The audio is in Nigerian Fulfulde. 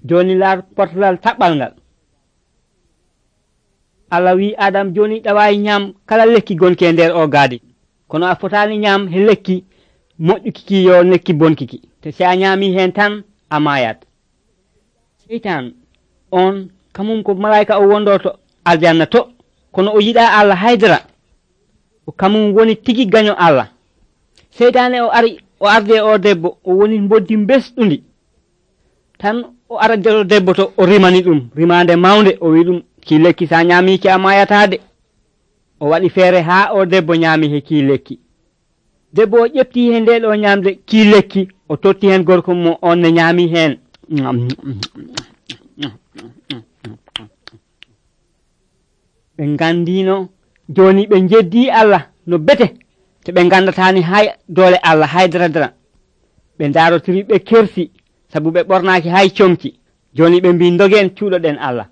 joni laar portalal taɓɓal ngal. Allah wi Adam joni ɗawayi ñam kala lekki gonki e nder o gaadi, kono a fotani ñam he lekki moƴƴukiki yo lekki bonkiki, te si a ñami hen tan a mayat. Seytan on kamum ko malaika o wondoto aljanna to, kono o yiɗa Allah haydara, o kamum woni tigi gaño Allah. Seytane o arde o debbo o woni boddi besɗundi tan o arade debbo to o rimani ɗum rimande mawde, o wi ɗum ki lekki sa ñamiki a mayatade. O waɗi feere ha o debbo ñami he ki lekki. Debbo o ƴefti he nde ɗo ñamde ki lekki, o totti hen gorko mo on ne ñami hen. Ɓe gandino joni ɓe jeddi Allah no bete, te ɓe gandatani hay doole Allah haydaradara. Ɓe darotiri ɓe kersi sabu ɓe ɓornaki hay comci. Joni ɓe mbi dogen cuuɗoɗen Allah.